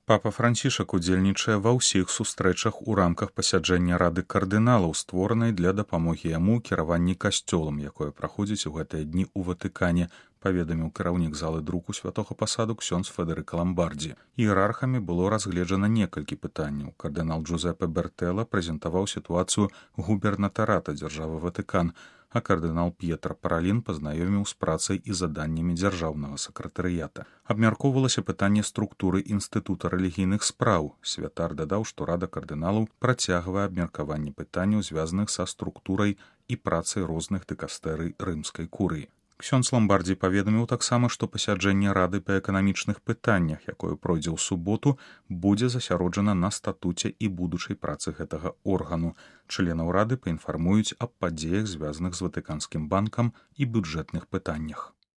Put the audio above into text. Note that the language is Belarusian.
Папа Францішак удзельнічае ва ўсіх сустрэчах у рамках пасяджэння рады кардыналаў, створанай для дапамогі яму ў кіраванні касцёлам, якое праходзіць у гэтыя дні ў Ватыкане, паведаміў кіраўнік залы друку святога пасаду ксёндз Федэрыка Ламбардзі. Іерархамі было разгледжана некалькі пытанняў. Кардынал Джузепе Бертэлла прэзентаваў сітуацыю губернатарата дзяржавы Ватыкан, а кардынал П'етра Паралін пазнаёміў з працай і заданнямі дзяржаўнага сакратарыята. Абмяркоўвалася пытанне структуры інстытута рэлігійных спраў. Святар дадаў, што рада кардыналаў працягвае абмеркаванне пытанняў, звязаных са структурай і працай розных дыкастэрый рымскай курыі. Ксёндз Ламбардзі паведаміў таксама, што пасяджэнне рады па эканамічных пытаннях, якое пройдзе ў суботу, будзе засяроджана на статуце і будучай працы гэтага органу. Членаў рады паінфармуюць аб падзеях, звязаных з Ватыканскім банкам і бюджэтных пытаннях.